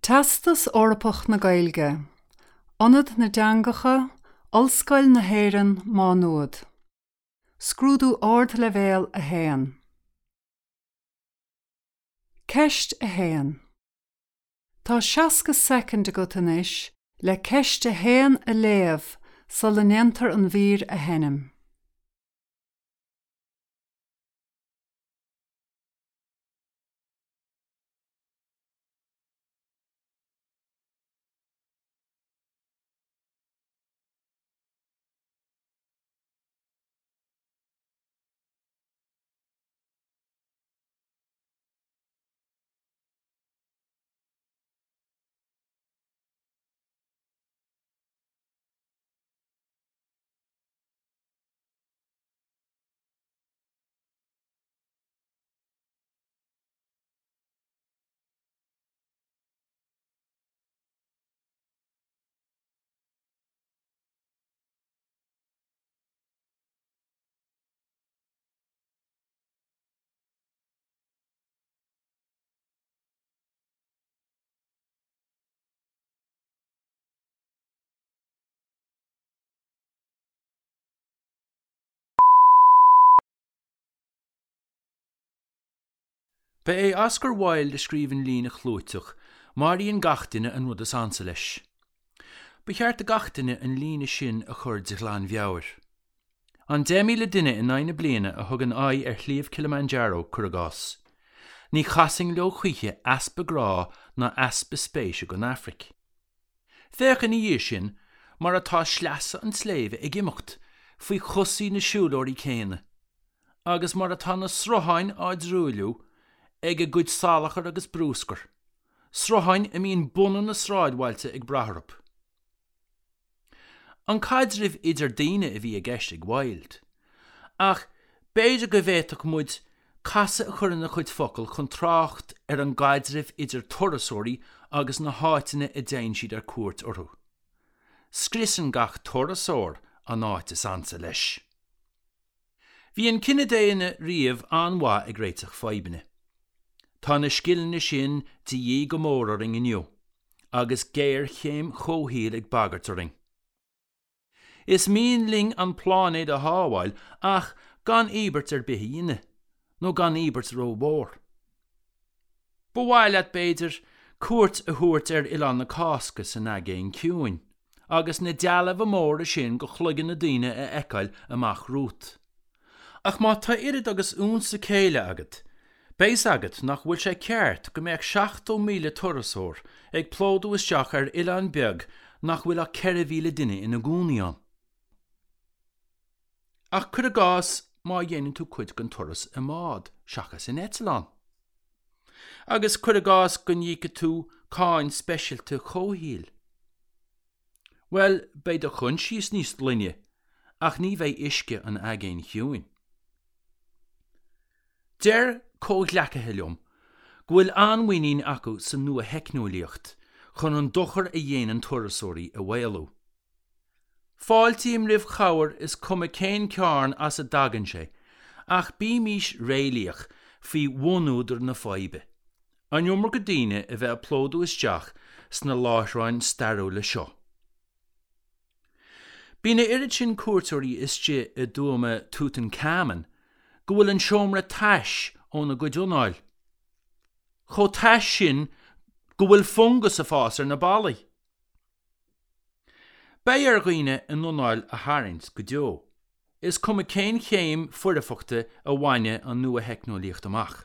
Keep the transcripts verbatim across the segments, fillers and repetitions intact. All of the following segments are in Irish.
Teastas Eorpach na Gaeilge, Ionad na dTeangacha, Ollscoil na hÉireann, Má Nuad. Scrúdú Ardleibhéal a haon. Ceist a haon. Tá seasca soicind agat anois le ceist a haon a léamh sula ndéantar an mhír a sheinm. Ba é Oscar Wilde a scríobh an líne chlúiteach, Maraíonn gach duine an rud is ansa leis. Ba cheart do gach duine an líne sin a chur de ghlanmheabhair. An deich míle duine in aghaidh na bliana a thugann aghaidh ar Shliabh Kilimanjaro, cuir i gcás. Ní chasfainn leo choíche easpa grá ná easpa spéise don Afraic. Féach ina dhiaidh sin mar atá sleasa an tsléibhe ag imeacht faoi chosaí na siúlóirí céanna, agus mar atá na srutháin á dtruailliú ag a gcuid salachar agus bruscair, srutháin a mbíonn bunadh na sráidbhailte ag brath orthu. An caidreamh idir daoine a bhí i gceist ag Wilde. Ach b'fhéidir go bhféadfadh muid casadh a chur ina chuid focal chun trácht ar an gcaidreamh idir turasóirí agus na háiteanna a dtéann siad ar cuairt orthu. Scriosann gach turasóir an áit is ansa leis. Bhí an cine daonna riamh an-mhaith ag réiteach fadhbanna. Tá na scileanna sin de dhíth go mór orainn inniu, agus géarchéim chomhshaoil ag bagairt orainn. Is mian linn an pláinéad a shábháil ach gan íobairt ar bith a dhéanamh, nó gan íobairt rómhór. Ba mhaith leat, b'fhéidir, cuairt a thabhairt ar Oileán na Cásca san Aigéan Ciúin, agus na dealbha móra sin de chloigne na ndaoine a fheiceáil amach romhat. Ach má tá oiread agus unsa céille agat, beidh 's agat nach bhfuil sé ceart go mbeadh seachtó míle turasóir ag plódú isteach ar oileán beag nach bhfuil ach ceithre mhíle duine ina gcónaí ann. Ach cuir i gcás má dhéanann tú cuid den turas i mbád seachas in eitleán. Agus cuir i gcás go n-íocfaidh tú cáin speisialta chomhshaoil. Bhuel, beidh do choinsias níos glaine, ach ní bheidh uisce an Aigéin Chiúin. Deir comhghleacaithe liom go bhfuil an-mhuinín acu sa nua-theicneolaíocht chun an dochar a dhéanann turasóirí a mhaolú. Fáiltím roimh chabhair is cuma cén cearn as a dtagann sé, ach bímís réalaíoch faoi bhunúdar na faidhbe, an iomarca daoine a bheith ag plódú isteach sna láithreáin stairiúla seo. Bíonn a oiread sin cuairteoirí istigh i dtuama Tutankhamun go bhfuil an seomra tais óna gcuid anáil. Chomh tais sin go bhfuil fungas ag fás ar na ballaí. Beidh ar dhaoine a n-anáil a tharraingt go deo, is cuma cén chéim foirfeachta a bhainfidh an nua-theicneolaíocht amach.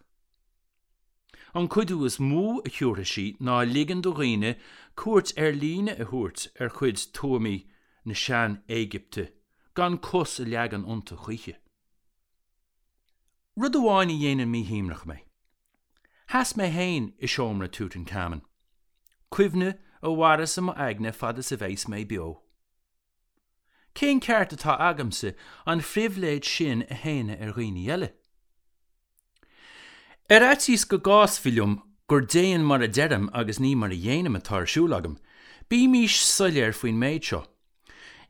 An cuidiú is mó a thiúrfaidh sí ná ligean do dhaoine cuairt ar líne a thabhairt ar chuid tuamaí na sean-Éigipte gan cos a leagan iontu choíche. Rud amháin a dhéanann míshuaimhneach mé. Sheas mé féin i seomra Tutankhamun. Cuimhne a mhairfeas i m'aigne fad is a bheas mé beo. Cén ceart atá agamsa an phribhléid sin a shéanadh ar dhaoine eile? Ar fhaitíos go gcasfaí liom gur déan mar a deirim agus ní mar a dhéanaim atá ar siúl agam, bímís soiléir faoin méid seo.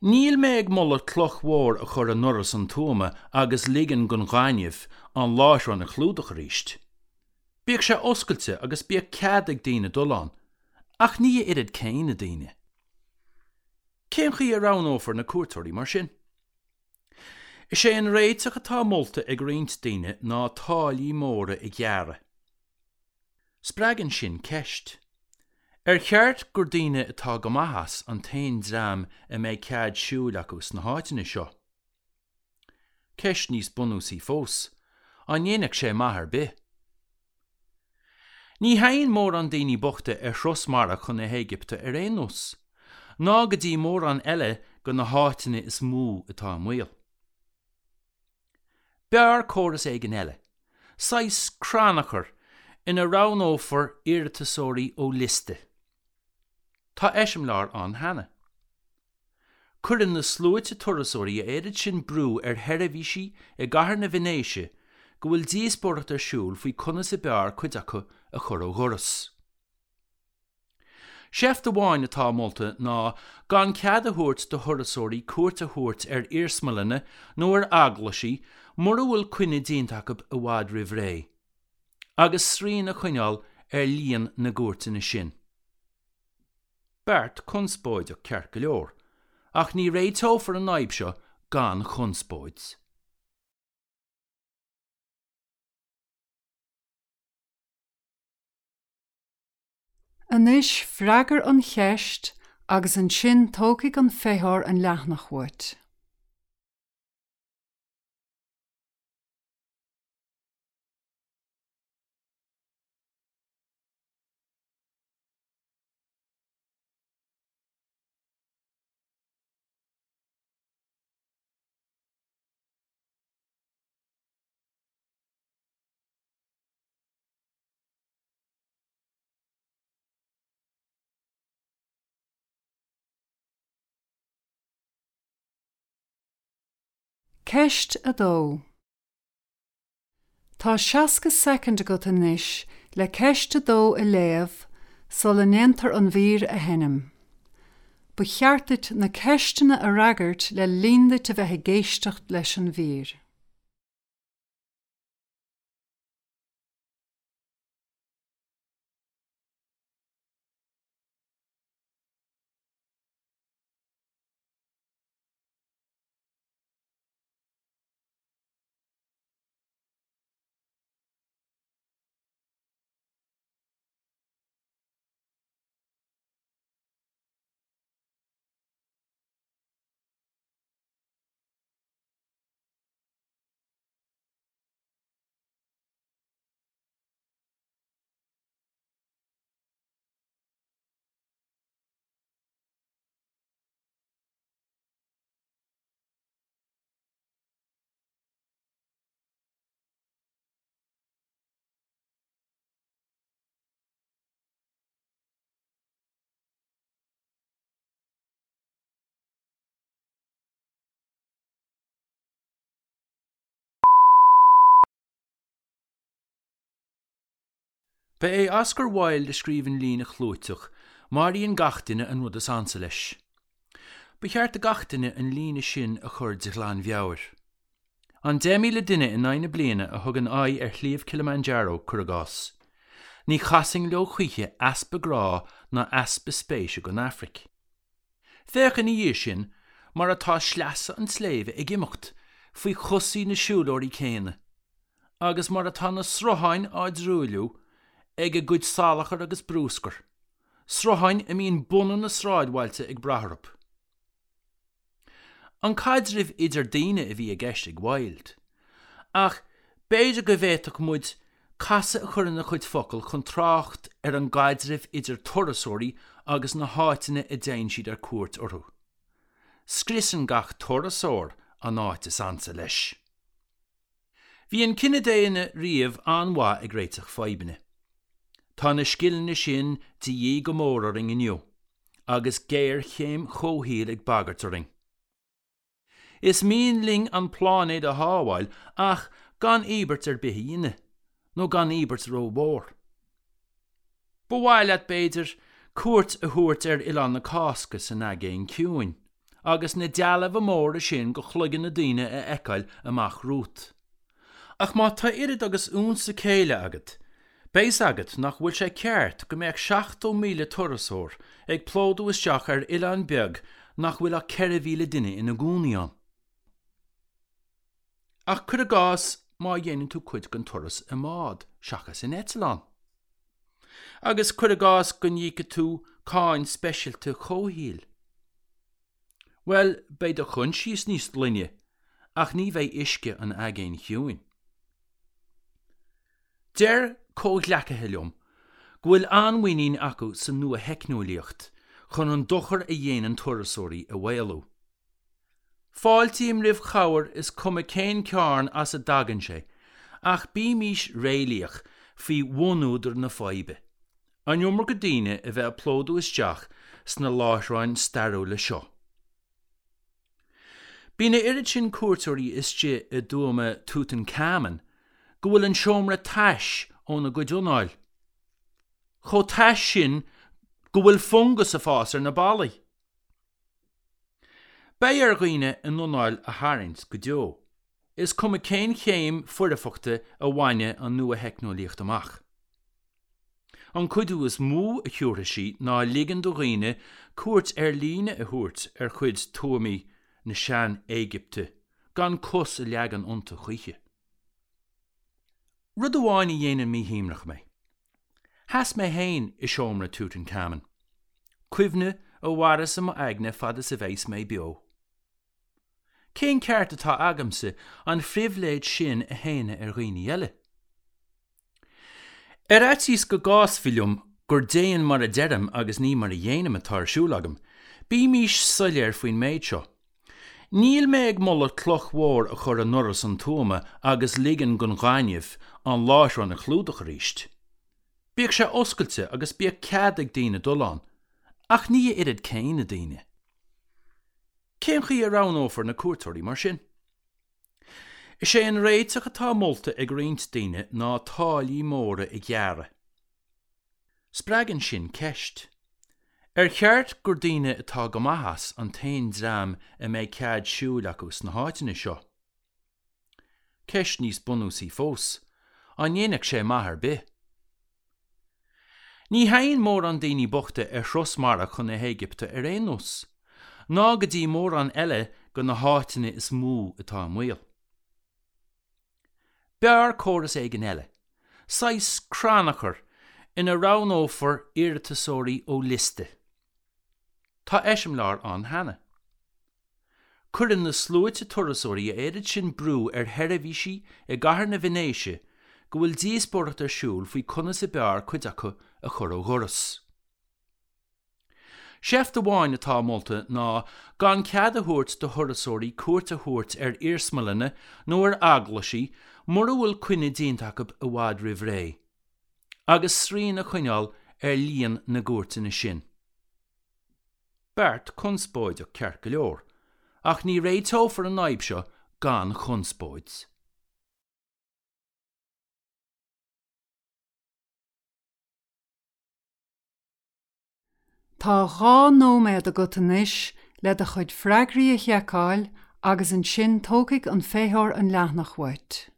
Níl mé ag moladh cloch mhór a chur i ndoras an tuama agus ligean don ghaineamh an láithreán a chlúdach arís. Bíodh sé oscailte agus bíodh cead ag daoine dul ann, Ach ní a oiread céanna daoine. Cén chaoi a roghnófar na cuairteoirí mar sin? Is é an réiteach atá molta ag roinnt daoine ná táillí móra a ghearradh. Spreagann sin ceist. Ar cheart gur daoine atá go maith as an t-aon dream a mbeidh cead siúil acu sna háiteanna seo? Ceist níos bunúsaí fós, an ndéanfadh sé maith ar bith? Ní théann mórán daoine bochta ar thuras mara chun na hÉigipte ar aon nós, ná go dtí mórán eile de na háiteanna is mó atá i mbaol. B'fhearr córas éigin eile, saghas crannchuir ina roghnófar iarratasóirí ó liosta. Tá eiseamláir ann cheana. Cuireann na sluaite turasóirí a oiread sin brú ar sheirbhísí i gcathair na Veinéise go bhfuil díospóireacht ar siúl faoi conas ab fhearr cuid acu a chur ó dhoras. Seift amháin atá molta ná gan cead a thabhairt do thurasóirí cuairt a thabhairt ar iarsmalanna nó ar eaglaisí mura bhfuil coinne déanta acu i bhfad roimh ré, agus srian a choinneáil ar líon na gcuairteanna sin. Beart conspóideach ceart go leor, ach ní réiteofar an fhadhb seo gan chonspóid. Anois freagair an cheist agus ansin tógfaidh an feitheoir an leathanach uait. Ceist a dó. Tá seasca soicind agat anois le ceist a dó a léamh sula ndéantar an mhír a sheinm. Ba cheart duit na ceisteanna a fhreagairt le linn duit a bheith ag éisteacht leis an mhír. Ba é Oscar Wilde a scríobh an líne chlúiteach, Maraíonn gach duine an rud is ansa leis. Ba cheart do gach duine an líne sin a chur de ghlanmheabhair. An deich míle duine in aghaidh na bliana a thugann aghaidh ar Shliabh Kilimanjaro, cuir i gcás. Ní chasfainn leo choíche easpa grá ná easpa spéise don Afraic. Féach ina dhiaidh sin mar atá sleasa an tsléibhe ag imeacht faoi chosaí na siúlóirí céanna, agus mar atá na srutháin á dtruailliú ag a gcuid salachar agus bruscair, srutháin a mbíonn bunadh na sráidbhailte ag brath orthu. An caidreamh idir daoine a bhí i gceist ag Wilde. Ach b'fhéidir go bhféadfadh muid casadh a chur ina chuid focal chun trácht ar an gcaidreamh idir turasóirí agus na háiteanna a dtéann siad ar cuairt orthu. Scriosann gach turasóir an áit is ansa leis. Bhí an cine daonna riamh an-mhaith ag réiteach fadhbanna. Tá na scileanna sin de dhíth go mór orainn inniu, agus géarchéim chomhshaoil ag bagairt orainn. Is mian linn an pláinéad a shábháil ach gan íobairt ar bith a dhéanamh, nó gan íobairt rómhór. Ba mhaith leat, b'fhéidir, cuairt a thabhairt ar Oileán na Cásca san Aigéan Ciúin, agus na dealbha móra sin de chloigne na ndaoine a fheiceáil amach romhat. Ach má tá oiread agus unsa céille agat, Beidh 's agat nach bhfuil sé ceart go mbeadh seachtó míle turasóir ag plódú isteach ar oileán beag nach bhfuil ach ceithre mhíle duine ina gcónaí ann. Ach cuir i gcás má dhéanann tú cuid den turas i mbád seachas in eitleán. Agus cuir i gcás go n-íocfaidh tú cáin speisialta chomhshaoil. Bhuel, beidh do choinsias níos glaine, ach ní bheidh uisce an Aigéin Chiúin. Deir comhghleacaithe liom go bhfuil an-mhuinín acu sa nua-theicneolaíocht chun an dochar a dhéanann turasóirí a mhaolú. Fáiltím roimh chabhair is cuma cén cearn as a dtagann sé, ach bímís réalaíoch faoi bhunúdar na faidhbe, an iomarca daoine a bheith ag plódú isteach sna láithreáin stairiúla seo. Bíonn a oiread sin cuairteoirí istigh i dtuama Tutankhamun go bhfuil an seomra tais óna gcuid anáil. Chomh tais sin go bhfuil fungas ag fás ar na ballaí. Beidh ar dhaoine a n-anáil a tharraingt go deo, is cuma cén chéim foirfeachta a bhainfidh an nua-theicneolaíocht amach. An cuidiú is mó a thabharfaidh sí ná ligean do dhaoine cuairt ar líne a thabhairt ar chuid tuamaí na sean-Éigipte gan cos a leagan iontu choíche. Rud amháin a dhéanann míshuaimhneach mé. Sheas mé féin i seomra Tutankhamun. Cuimhne a mhairfeas i m'aigne fad is a bheas mé beo. Cén ceart atá agamsa an phribhléid sin a shéanadh ar dhaoine eile? Ar fhaitíos go gcasfaí liom gur déan mar a deirim agus ní mar a dhéanaim atá ar siúl agam, bímís soiléir faoin méid seo. Níl mé ag moladh cloch mhór a chur i ndoras an tuama agus ligean don ghaineamh an láithreán a chlúdach arís. Bíodh sé oscailte agus bíodh cead ag daoine dul ann, ach ní a oiread céanna daoine. Cén chaoi a roghnófar na cuairteoirí mar sin? Is é an réiteach atá molta ag roinnt daoine ná táillí móra a ghearradh. Spreagann sin ceist. Ar cheart gur daoine atá go maith as an t-aon dream a mbeidh cead siúil acu sna háiteanna seo? Ceist níos bunúsaí fós, an ndéanfadh sé maith ar bith? Ní théann mórán daoine bochta ar thuras mara chun na hÉigipte ar aon nós, ná go dtí mórán eile de na háiteanna is mó atá i mbaol. B'fhearr córas éigin eile, saghas crannchuir ina roghnófar iarratasóirí ó liosta. Tá eiseamláir ann cheana. Cuireann na sluaite turasóirí a oiread sin brú ar sheirbhísí i gcathair na Veinéise go bhfuil díospóireacht ar siúl faoi conas ab fhearr cuid acu a chur ó dhoras. Seift amháin atá molta ná gan cead a thabhairt do thurasóirí cuairt a thabhairt ar iarsmalanna nó ar eaglaisí mura bhfuil coinne déanta acu i bhfad roimh ré, agus srian a choinneáil ar líon na gcuairteanna sin. Beart conspóideach ceart go leor, ach ní réiteofar an fhadhb seo gan chonspóid. Tá dhá nóiméad agat anois le do chuid freagraí a sheiceáil agus ansin tógfaidh an feitheoir an leathanach uait.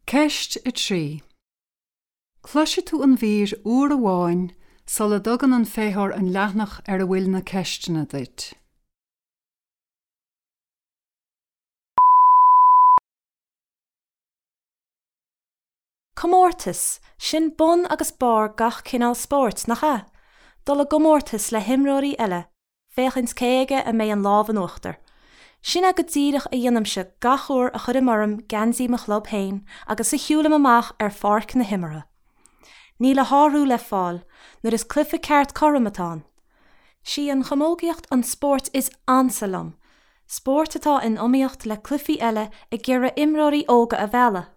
Ceist a trí. Cloisfidh tú an mhír uair amháin sula dtugann an feitheoir an leathanach ar a bhfuil na ceisteanna duit. Comórtas, sin bun agus barr gach cineál spóirt, nach ea? Dul i gcomórtas le himreoirí eile, féachaint cé aige a mbeidh an lámh in uachtar. Sin é go díreach a dhéanaimse gach uair a chuirim orm geansaí mo chlub féin agus a shiúlaim amach ar pháirc na himeartha. Níl a shárú le fáil nuair is cluiche ceart cothrom atá ann. Sí an chamógaíocht an spórt is ansa liom, spórt atá in iomaíocht le cluichí eile ag iarraidh imreoirí óga a mhealladh.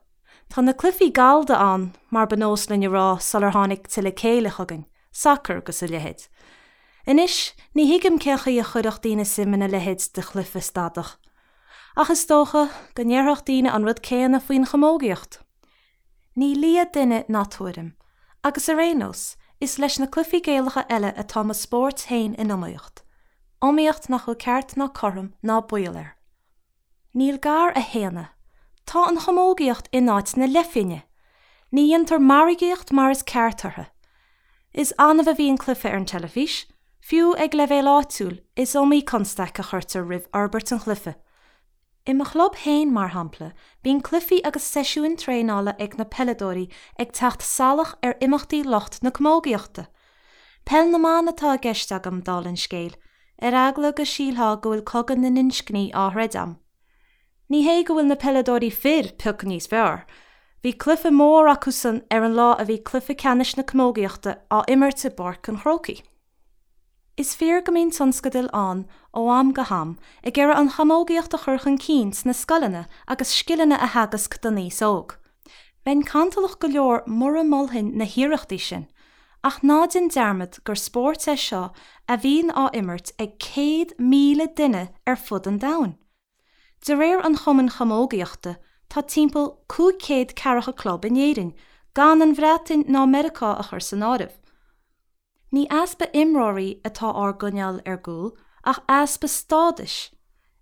Tá na cluichí gallda ann, mar ba nós linn a rá sular tháinig tuilleadh céille chugainn, sacar agus a leithéid. Anois, ní thuigim cén chaoi a chuirfeadh daoine suim ina leithéid de chluiche stadach. Ach is dócha go ndéarfadh daoine an rud céanna faoin chamógaíocht. Ní lia duine ná tuairim. Agus ar aon nós, is leis na cluichí Gaelacha eile atá mo spórt féin in iomaíocht. Iomaíocht nach bhfuil ceart ná cothrom ná baol air. Níl gar a shéanadh. Tá an chamógaíocht in áit na leithphinge. Ní dhéantar margaíocht mar is ceart uirthi. Is annamh a bhíonn cluiche ar an teilifís. Fiú ag leibhéal áitiúil, is iomaí constaic a chuirtear roimh fhorbairt an chluiche. I mo chlub féin, mar shampla, bíonn cluichí agus seisiúin traenála ag na peileadóirí ag teacht salach ar imeachtaí lucht na camógaíochta. Peil na mban atá i gceist agam, dála an scéil, ar eagla go sílfeá go bhfuil cogadh na n-inscní á throid agam. Ní hé go bhfuil na peileadóirí fir pioc níos fearr, bhí cluiche mór acusan ar an lá a bhí cluiche ceannais na camógaíochta á imirt i bPáirc an Chrócaigh. Is fíor go mbíonn tionscadail ann ó am go ham ag iarraidh an chamógaíocht a chur chun cinn sna scoileanna agus scileanna a theagasc don aos óg. Bheinn cantalach go leor mura molfainn na hiarrachtaí sin, ach ná déan dearmad gur spórt é seo a bhíonn á imirt ag céad míle duine ar fud an domhain. De réir an Chumainn Chamógaíochta, tá timpeall cúig chéad ceathracha club in Éirinn, gan an Bhreatain ná Meiriceá a chur san áireamh. Ní easpa imreoirí atá ár gcoinneáil ar gcúl, ach easpa stádais.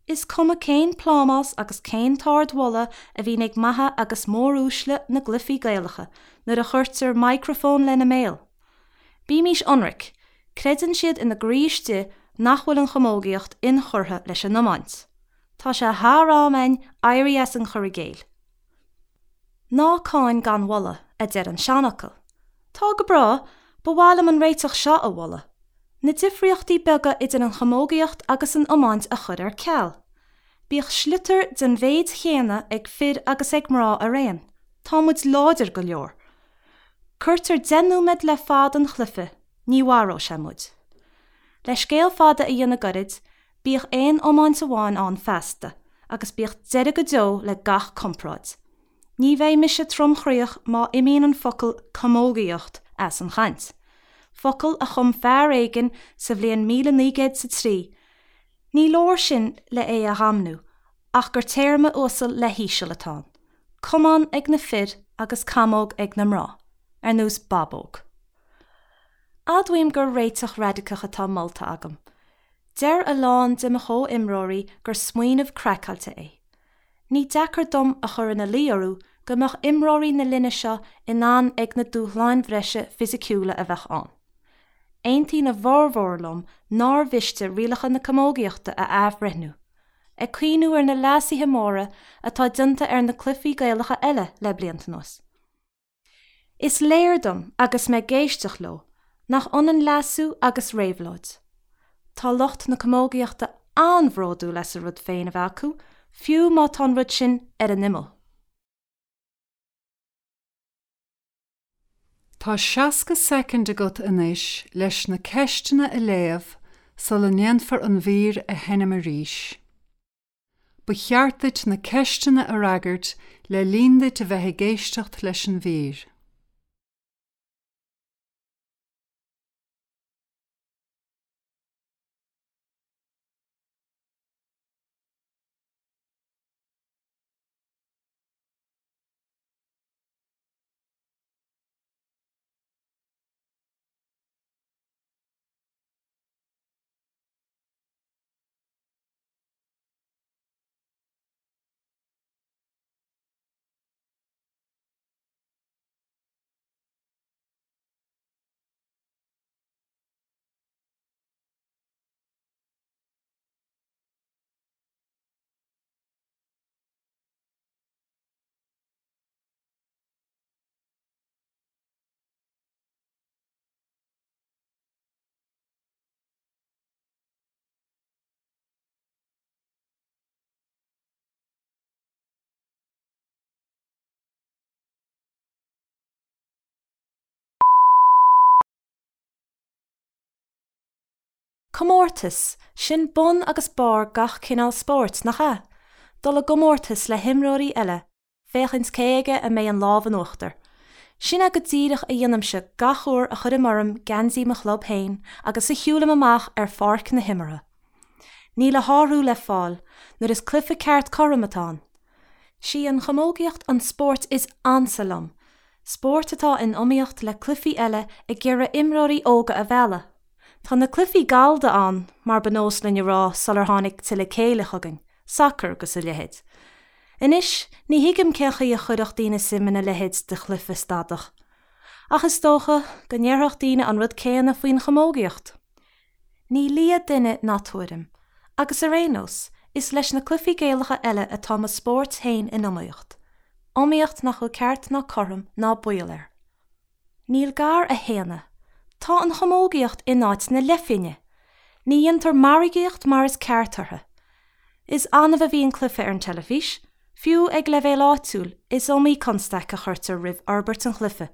Is cuma cén plámás agus cén t-ardmholadh a bhíonn ag maithe agus móruaisle na gcluichí Gaelacha nuair a chuirtear micreafón lena mbéal. Bímís ionraic, creideann siad ina gcroí istigh nach bhfuil an chamógaíocht inchurtha leis an iomáint. Tá sé thar am againn éirí as an chur i gcéill. Ná cáin gan mholadh, a deir an seanfhocal. Tá go breá, ba mhaith liom an réiteach seo a mholadh, na difríochtaí beaga idir an chamógaíocht agus an iomáint a chur ar ceal. Bíodh sliotar den mhéid chéanna ag fir agus ag mná araon. Tá muid láidir go leor. Cuirtear deich nóiméad le fad an chluiche, ní mharóidh sé muid. Le scéal fada a dhéanamh gairid, bíodh aon iomáint amháin ann feasta, agus bíodh deireadh go deo le gach comparáid. Ní bheidh mise tromchroíoch má imíonn an focal 'camógaíocht' as an chaint. Focal a chum fear éigin sa bhliain míle naoi gcéad 's a trí. Ní leor sin le é a dhamnú, ach gur téarma uasal le híseal atá ann. Camán ag na fir agus camóg ag na mná, ar nós babóg. Admhaím gur réiteach raidiceach atá molta agam. Deir a lán de mo chomhimreoirí gur smaoineamh craiceáilte é. Ní deacair dom a chur ina luí orthu go mbeadh imreoirí na linne seo in ann ag na dúshláin bhreise fisiciúla a bheadh ann. Aontaíonn a bhformhór liom nár mhiste rialacha na camógaíochta a athbhreithniú, ag cuimhniú ar na leasuithe móra atá déanta ar na cluichí Gaelacha eile le blianta anuas. Is léir dom, agus mé ag éisteacht leo, nach ionann leasú agus réabhlóid. Tá lucht na camógaíochta an-bhródúil as a rud féin a bheith acu, fiú má tá an rud sin ar an imeall. Tá seasca soicind agat anois leis na ceisteanna a léamh sula ndéanfar an mhír a sheinm arís. Ba cheart duit na ceisteanna a fhreagairt le linn duit a bheith ag éisteacht leis an mhír. Comórtas, sin bun agus barr gach cineál spóirt, nach ea? Dul i gcomórtas le himreoirí eile, féachaint cé aige a mbeidh an lámh in uachtar. Sin é go díreach a dhéanaimse gach uair a chuirim orm geansaí mo chlub féin agus a shiúlaim amach ar pháirc na himeartha. Níl a shárú le fáil nuair is cluiche ceart cothrom atá ann. Sí an chamógaíocht an spórt is ansa liom, spórt atá in iomaíocht le cluichí eile ag iarraidh imreoirí óga a mhealladh. Tá na cluichí gallda ann, mar ba nós linn a rá sular tháinig tuilleadh céille chugainn, sacar agus a leithéid. Anois, ní thuigim cén chaoi a chuirfeadh daoine suim ina leithéid de chluiche stadach. Ach is dócha go ndéarfadh daoine an rud céanna faoin chamógaíocht. Ní lia duine ná tuairim, agus ar aon nós, is leis na cluichí Gaelacha eile atá mo spórt féin in iomaíocht. Iomaíocht nach bhfuil ceart ná cothrom ná baol air. Níl gar a shéanadh. Tá an chamógaíocht in áit na leithphinge. Ní dhéantar margaíocht mar is ceart uirthi. Is annamh a bhíonn cluiche ar an teilifís, fiú ag leibhéal áitiúil, is iomaí constaic a chuirtear roimh fhorbairt an chluiche.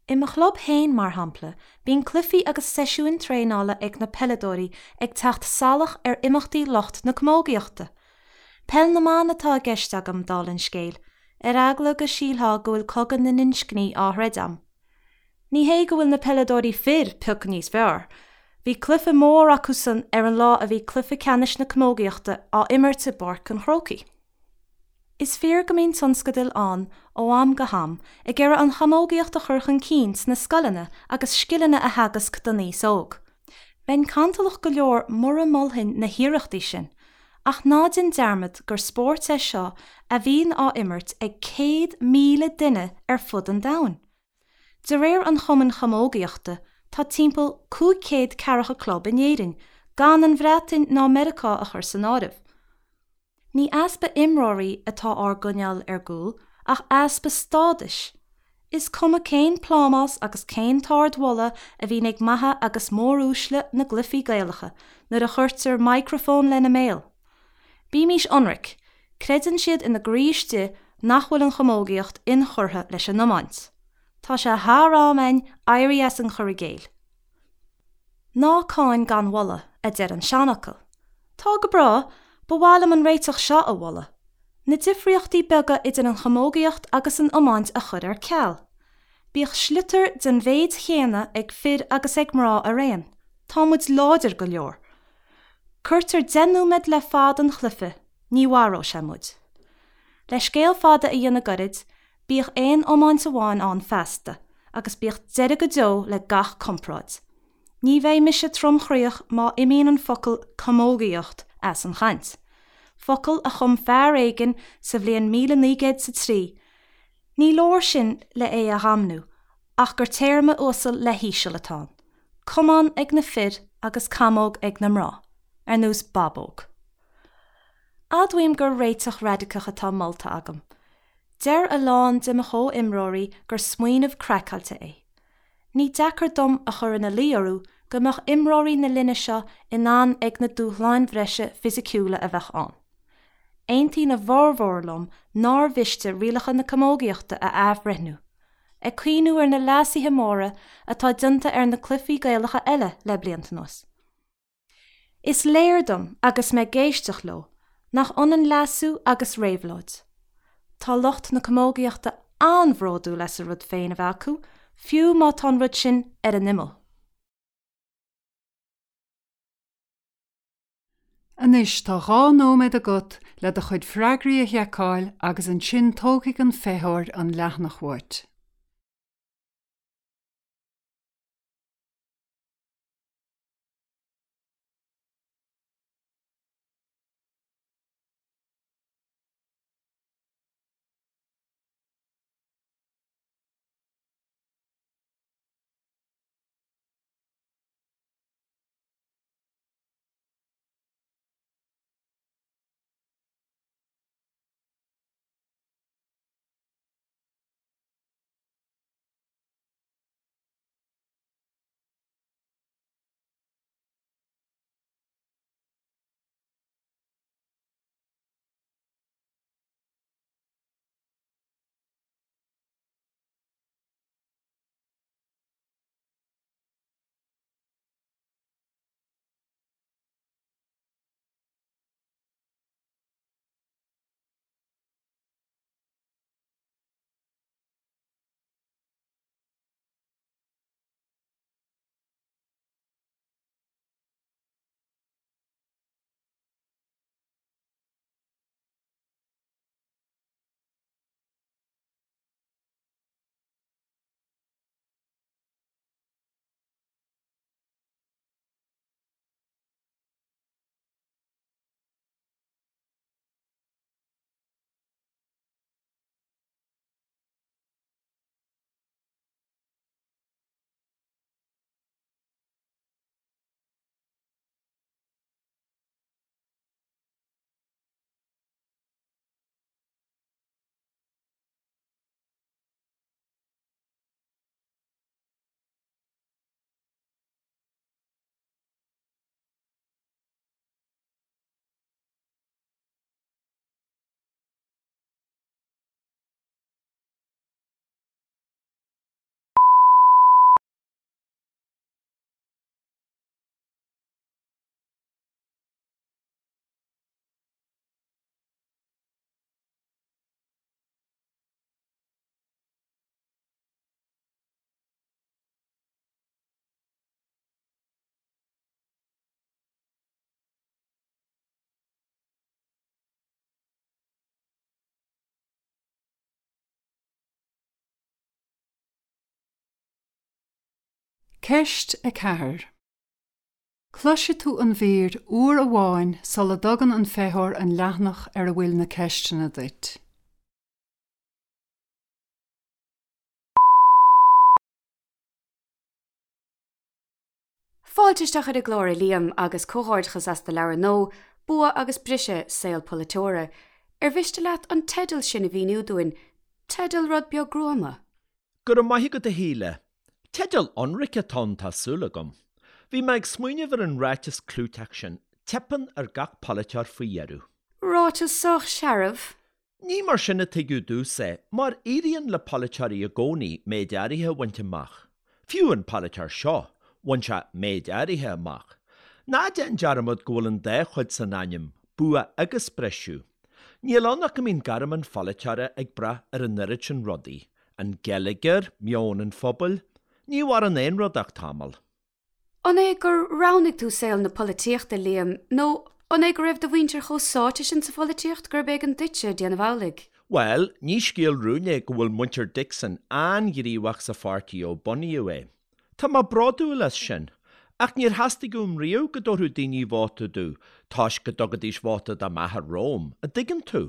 I mo chlub féin, mar shampla, bíonn cluichí agus seisiúin traenála ag na peileadóirí ag teacht salach ar imeachtaí lucht na camógaíochta. Peil na mban atá i gceist agam, dála an scéil, ar eagla go sílfeá go bhfuil cogadh na n-inscní á throid a'm. Ní hé go bhfuil na peileadóirí fir pioc níos fearr. Bhí cluiche mór acusan ar an lá a bhí cluiche ceannais na camógaíochta á imirt i bPáirc an Chrócaigh. Is fíor go mbíonn tionscadail ann ó am go ham ag iarraidh an chamógaíocht a chur chun cinn sna scoileanna agus scileanna a theagasc don aos óg. Bheinn cantalach go leor mura molfainn na hiarrachtaí sin, ach ná déan dearmad gur spórt é seo a bhíonn á imirt ag céad míle duine ar fud an domhain. De réir an Chumainn Chamógaíochta, tá timpeall cúig chéad ceathracha club in Éirinn, gan an Bhreatain ná Meiriceá a chur san áireamh. Ní easpa imreoirí atá ár gcoinneáil ar gcúl, ach easpa stádais. Is cuma cén plámás agus cén t-ardmholadh a bhíonn ag maithe agus móruaisle na gcluichí Gaelacha nuair a chuirtear micreafón lena mbéal. Bímís ionraic, creideann siad ina gcroí istigh nach bhfuil an chamógaíocht inchurtha leis an iomáint. Tá sé thar am againn éirí as an chur i gcéill. Ná cáin gan mholadh, a deir an seanfhocal. Tá go breá, ba mhaith liom an réiteach seo a mholadh, na difríochtaí beaga idir an chamógaíocht agus an iomáint a chur ar ceal. Bíodh sliotar den mhéid chéanna ag fir agus ag mná araon. Tá muid láidir go leor. Cuirtear deich nóiméad le fad an chluiche, ní mharóidh sé muid. Le scéal fada a dhéanamh gairid, Bíodh aon iomáint amháin ann feasta, agus bíodh deireadh go deo le gach comparáid. Ní bheidh mise tromchroíoch má imíonn an focal 'camógaíocht' as an chaint. Focal a chum fear éigin sa bhliain míle naoi gcéad 's a trí. Ní leor sin le é a dhamnú, ach gur téarma uasal le híseal atá ann. Camán ag na fir agus camóg ag na mná, ar nós babóg. Admhaím gur réiteach raidiceach atá molta agam. Deir a lán de mo chomhimreoirí gur smaoineamh craiceáilte é. Ní deacair dom a chur ina luí orthu go mbeadh imreoirí na linne seo in ann ag na dúshláin bhreise fisiciúla a bheadh ann. Aontaíonn a bhformhór liom nár mhiste rialacha na camógaíochta a athbhreithniú, ag cuimhniú ar na leasuithe móra atá déanta ar na cluichí Gaelacha eile le blianta anuas. Is léir dom, agus mé ag éisteacht leo, nach ionann leasú agus réabhlóid. Tá lucht na camógaíochta an-bhródúil as a rud féin a bheith acu, fiú má tá an rud sin ar an imeall. Anois tá dhá nóiméad agat le do chuid freagraí a sheiceáil agus ansin tógfaidh an feitheoir an leathanach uait. Ceist a ceathair. Cloisfidh tú an mhír uair amháin sula dtugann an feitheoir an leathanach ar a bhfuil na ceisteanna duit. Fáilte isteach ar an gclár a Liam agus comhghairdeachas as do leabhar nua, Bua agus Briseadh, Saol Polaiteora. Ar mhiste leat an teideal sin a mhíniú dúinn? Teideal rud beag gruama. Go raibh maith agat a Shíle. Teideal ionraic atá ann tá súil agam. Bhí mé ag smaoineamh ar an ráiteas clúiteach sin, teipeann ar gach polaiteoir faoi dheireadh. Ráiteas sách searbh. Ní mar sin a tuigeadh domhsa é, mar éiríonn le polaiteoirí i gcónaí méid áirithe a bhaint amach. Fiú an polaiteoir seo, bhain sé méid áirithe amach. Ná déan dearmad go bhfuil an dá chuid san ainm, bua agus briseadh. Níl ann ach go mbíonn gairm an pholaiteora ag brath ar an oiread sin rudaí, an geilleagar, meon an phobail, ní mhaireann aon rud ach tamall. An é gur roghnaigh tú saol na polaitíochta, Liam, nó an é go raibh do mhuintir chomh sáite sin sa pholaitíocht gurb éigean duitse déanamh amhlaidh? Bhuel, ní scéal rúin é go bhfuil muintir Dixon an-ghníomhach sa pháirtí ó bunaíodh é. Tá mé bródúil as sin. Ach níor theastaigh uaim riamh go dtabharfadh daoine vóta domh toisc go dtugaidís vóta do m'athair romham, an dtuigeann tú?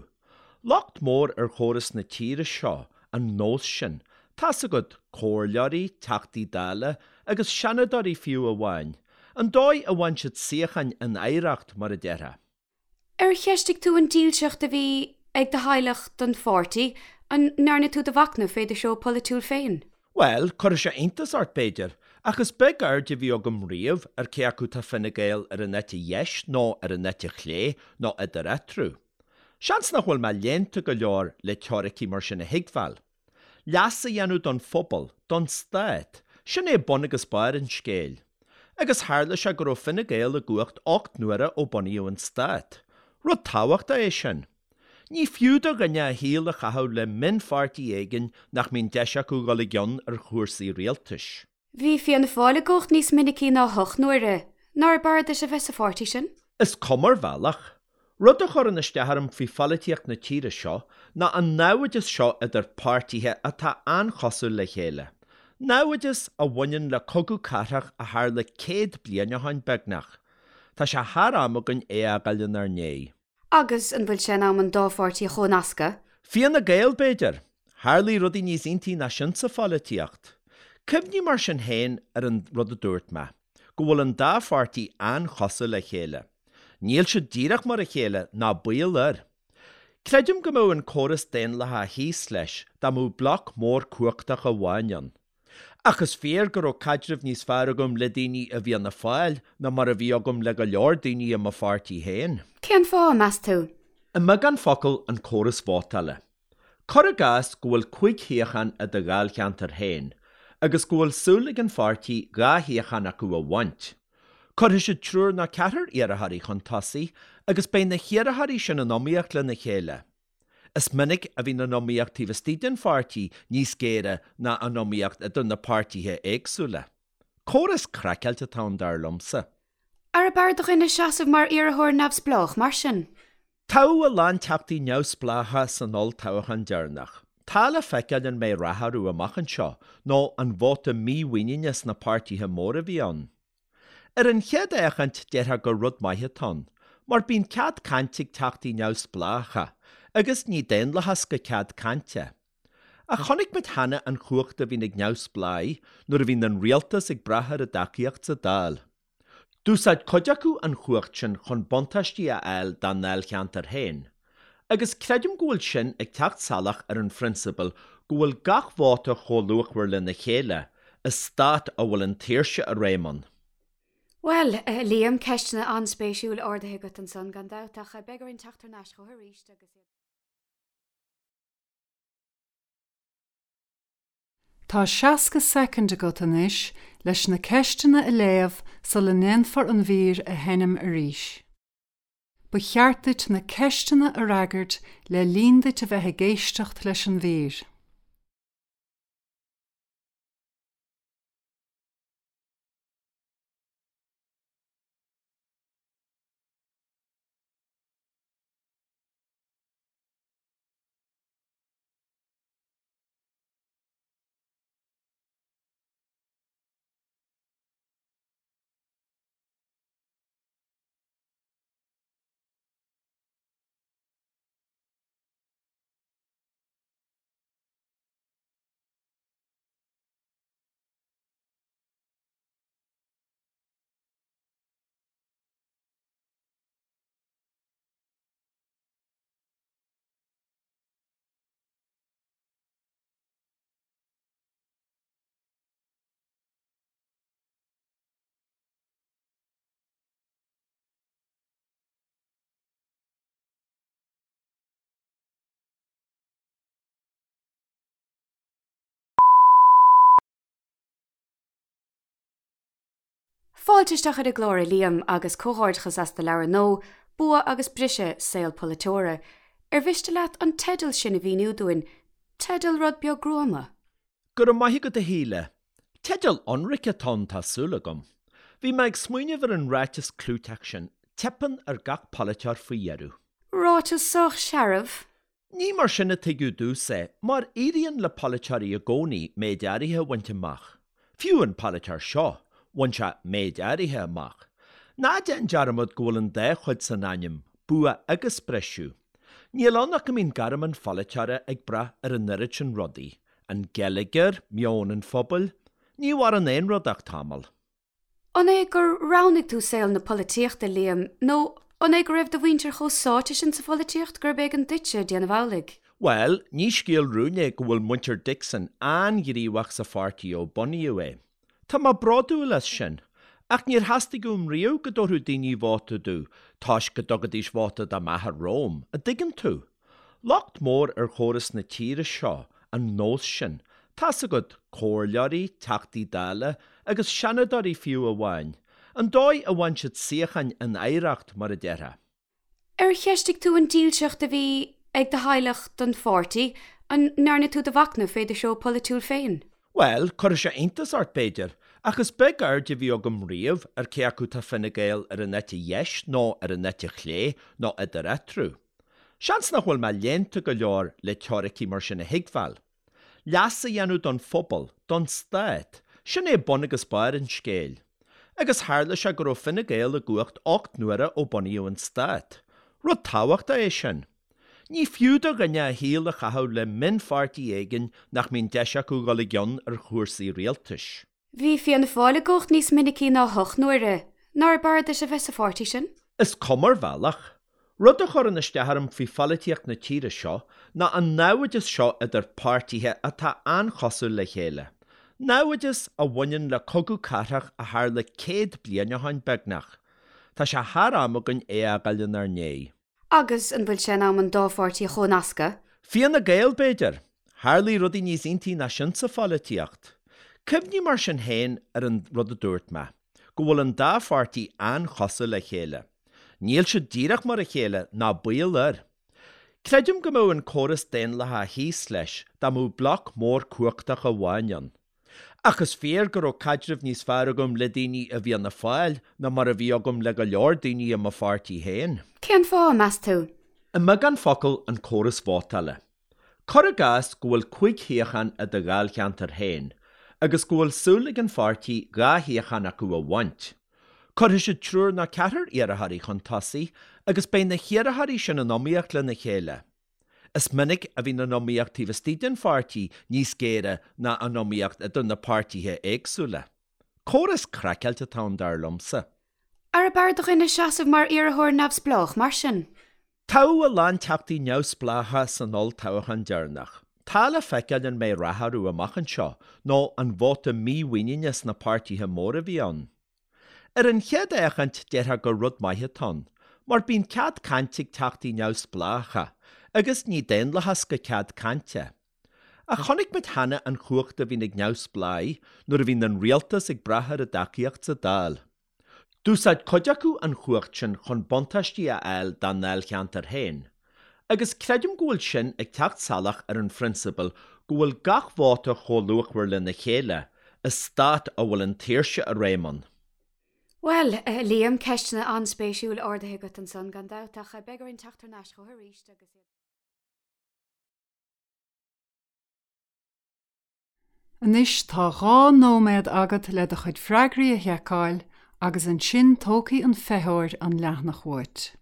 Locht mór ar chóras na tíre seo an nós sin, tá's agat, comhairleoirí, Teachtaí Dála agus Seanadóirí fiú amháin, an dóigh a bhain siad suíocháin in oidhreacht, mar a déarfá. Ar cheistigh tú an dílseacht a bhí ag do theaghlach don pháirtí? An ndearna tú do mhachnamh fé do threo polaitiúil féin? Bhuel, cuirfidh sé iontas ort, b'fhéidir, ach is beag aird a bhí agam riamh ar cé acu tá Fine Gael ar an eite dheis nó ar an eite chlé nó idir eatarthu. Seans nach bhfuil mé léannta go leor le teoiricí mar sin a thuigbheáil. Leas a dhéanamh don phobal, don stát, sin é bun agus barr an scéil. Agus tharla sé go raibh Fine Gael i gcumhacht ocht n-uaire ó bunaíodh an stát. Rud tábhachtach é sin. Ní fiú do dhuine a shaol a chaitheamh le mionpháirtí éigin nach mbíonn deis acu dhul i gcion ar chúrsaí rialtais. Bhí Fianna Fáil i gcumhacht níos minicí ná hocht n-uaire. Nár b'fhearr duit a bheith sa pháirtí sin? Is cuma ar bhealach. Rud a chuireann isteach orm faoi pholaitíocht na tíre seo ná an naimhdeas seo idir páirtithe atá an-chosúil le chéile. Naimhdeas a bhaineann le cogadh cathrach a tharla céad bliain ó shin, beagnach. Tá sé thar am againn é a fhágáil inár ndiaidh. Agus an bhfuil sé in am an dá pháirtí a chónascadh? Fianna Gael, b'fhéidir? Tharlaigh rudaí níos iontaí ná sin sa pholaitíocht. Cuimhnigh mar sin féin ar an rud a dúirt mé, go bhfuil an dá pháirtí an-chosúil le chéile. Níl siad díreach mar a chéile, ná baol air. Creidim go mbeadh an córas daonlathach thíos leis dá mbeadh bloc mór cumhachtach amháin ann. Ach is fíor go raibh caidreamh níos fearr agam le daoine i bhFianna Fáil ná mar a bhí agam le go leor daoine i mo pháirtí féin. Cén fáth, meas tú? I mbeagán focal, an córas vótála. Cuir i gcás go bhfuil cúig shuíochán i do dháilcheantar féin agus go bhfuil súil ag an pháirtí dhá shuíochán acu a bhaint. Cuirfidh siad triúr nó ceathrar iarrthóirí chun tosaigh agus beidh na hiarrthóirí sin in iomaíocht lena chéile. Is minic a bhíonn an iomaíocht taobh istigh den pháirtí níos géire ná an iomaíocht idir na páirtithe éagsúla. Córas craiceáilte atá ann dar liomsa. Arbh fhearr do dhuine seasamh mar iarrthóir neamhspleách mar sin? Toghadh a lán teachtaí neamhspleácha san olltoghchán deireanach. Tá le feiceáil an mbeidh rath orthu amach anseo nó an vóta mímhuiníne sna páirtithe móra a bhí ann. Ar an chéad fhéachaint déarfá gur rud maith atá ann, mar bíonn cead cainte ag teachtaí neamhspleácha, agus ní daonlathas gan cead cainte. Ach chonaic muid cheana an chumhacht a bhíonn ag neamhspleáigh nuair a bhíonn an rialtas ag brath ar a dtacaíocht sa Dáil. D'úsáid cuid acu an chumhacht sin chun buntáistí a fháil dá ndáilcheantar féin. Agus creidim go bhfuil sin ag teacht salach ar an phrionsabal go bhfuil gach vóta chomh luachmhar lena chéile i stát a bhfuil an tsaoirse i réim ann. Bhuel, a Liam, ceisteanna an-spéisiúil ardaithe agat ansan gan dabht, ach beidh orainn teacht thar n-ais chugat arís agus iad. Tá seasca soicind agat anois leis na ceisteanna a léamh sula ndéanfar an mhír a sheinm arís. Ba cheart duit na ceisteanna a fhreagairt le linn duit a bheith ag éisteacht leis an mhír. Fáilte isteach ar an gclár a Liam agus comhghairdeachas as do leabhar nua, Bua agus Briseadh, Saol Polaiteora. Ar mhiste leat an teideal sin a mhíniú dúinn, teideal rud beag gruama? Go raibh maith agat a Shíle. Teideal ionraic atá ann tá súil agam. Bhí mé ag smaoineamh ar an ráiteas clúiteach sin, teipeann ar gach polaiteoir faoi dheireadh. Ráiteas sách searbh. Ní mar sin a tuigeadh dtús é, mar éiríonn le polaiteoirí i gcónaí méid áirithe a bhaint amach. Fiú an polaiteoir seo, bhain sé méid áirithe amach. Ná déan dearmad go bhfuil an dá chuid san ainm, bua agus briseadh. Níl ann ach go mbíonn gairm an pholaiteora ag brath ar an oiread sin rudaí, an geilleagar, meon an phobail. Ní mhaireann aon rud ach tamall. An é gur roghnaigh tú saol na polaitíochta, Liam, nó an é go raibh do mhuintir chomh sáite sin sa pholaitíocht gurb éigean duitse déanamh amhlaidh? Bhuel, ní scéal rúin é go bhfuil muintir Dixon an-ghníomhach sa pháirtí ó bunaíodh é. Tá mé bródúil as sin. Ach níor theastaigh uaim riamh go dtabharfadh daoine vóta domh toisc go dtugaidís vóta do m'athair romham, an dtuigeann tú? Locht mór ar chóras na tíre seo an nós sin, tá's agat, comhairleoirí, Teachtaí Dála agus Seanadóirí fiú amháin, an dóigh a bhain siad suíocháin in oidhreacht, mar a déarfá. Ar cheistigh tú an dílseacht a bhí ag do theaghlach don pháirtí? An ndearna tú do mhachnamh fé do threo polaitiúil féin? Bhuel, cuirfidh sé iontas ort, b'fhéidir, ach is beag aird a bhí agam riamh ar cé acu tá Fine Gael ar an eite dheis nó ar an eite chlé nó idir eatarthu. Seans nach bhfuil mé léannta go leor le teoiricí mar sin a thuigbheáil. Leas a dhéanamh don phobal, don stát, sin é bun agus barr an scéil. Agus tharla sé go raibh Fine Gael i gcumhacht ocht n-uaire ó bunaíodh an stát. Rud tábhachtach é sin. Ní fiú do dhuine a shaol a chaitheamh le mionpháirtí éigin nach mbíonn deis acu dhul i gcion ar chúrsaí rialtais. Bhí Fianna Fáil i gcumhacht níos minicí ná hocht n-uaire. Nár b'fhearr duit a bheith sa pháirtí sin? Is cuma ar bhealach. Rud a chuireann isteach orm faoi pholaitíocht na tíre seo ná an naimhdeas seo idir páirtithe atá an-chosúil le chéile. Naimhdeas a bhaineann le cogadh cathrach a tharla céad bliain ó shin, beagnach. Tá sé thar am againn é a fhágáil inár ndiaidh. Agus an bhfuil sé in am an dá pháirtí a chónascadh? Fianna Gael, b'fhéidir? Tharlaigh rudaí níos iontaí ná sin sa pholaitíocht. Cuimhnigh mar sin féin ar an rud a dúirt mé, go bhfuil an dá pháirtí an-chosúil le chéile. Níl siad díreach mar a chéile, ná baol air. Creidim go mbeadh an córas daonlathach thíos leis dá mbeadh bloc mór cumhachtach amháin ann. Ach is fíor go raibh caidreamh níos fearr agam le daoine i bhFianna Fáil ná mar a bhí agam le go leor daoine i mo pháirtí féin. Cén fáth, meas tú? I mbeagán focal, an córas vótála. Cuir i gcás go bhfuil cúig shuíochán i do dháilcheantar féin agus go bhfuil súil ag an pháirtí dhá shuíochán acu a bhaint. Cuirfidh siad triúr nó ceathrar iarrthóirí chun tosaigh agus beidh na hiarrthóirí sin in iomaíocht lena chéile. Is minic a bhíonn an iomaíocht taobh istigh den pháirtí níos géire ná an iomaíocht idir na páirtithe éagsúla. Córas craiceáilte atá ann, dar liomsa. Arbh fhearr do dhuine seasamh mar iarrthóir neamhspleách, mar sin? Toghadh a lán teachtaí neamhspleácha san olltoghchán deireanach. Tá le feiceáil an mbeidh rath orthu amach anseo nó an vóta mímhuiníne sna páirtithe móra a bhí ann. Ar an chéad fhéachaint déarfá gur rud maith atá ann, mar bíonn cead cainte ag teachtaí neamhspleácha, agus ní daonlathas gan cead cainte. Ach chonaic muid cheana an chumhacht a bhíonn ag neamhspleáigh nuair a bhíonn an rialtas ag brath ar a dtacaíocht sa Dáil. D'úsáid cuid acu an chumhacht sin chun buntáistí a fháil dá ndáilcheantar féin. Agus creidim go bhfuil sin ag teacht salach ar an phrionsabal go bhfuil gach vóta chomh luachmhar lena chéile i stát a bhfuil an tsaoirse i réim ann. Bhuel, a Liam, ceisteanna an-spéisiúil ardaithe agat ansan gan dabht, ach beidh orainn teacht thar n-ais chugat arís agus iad. Anois tá dhá nóiméad agat le do chuid freagraí a sheiceáil agus ansin tógfaidh an feitheoir an leathanach uait.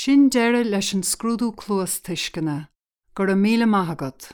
Sin deireadh leis an scrúdú cluastuisceana, go raibh míle maith agat.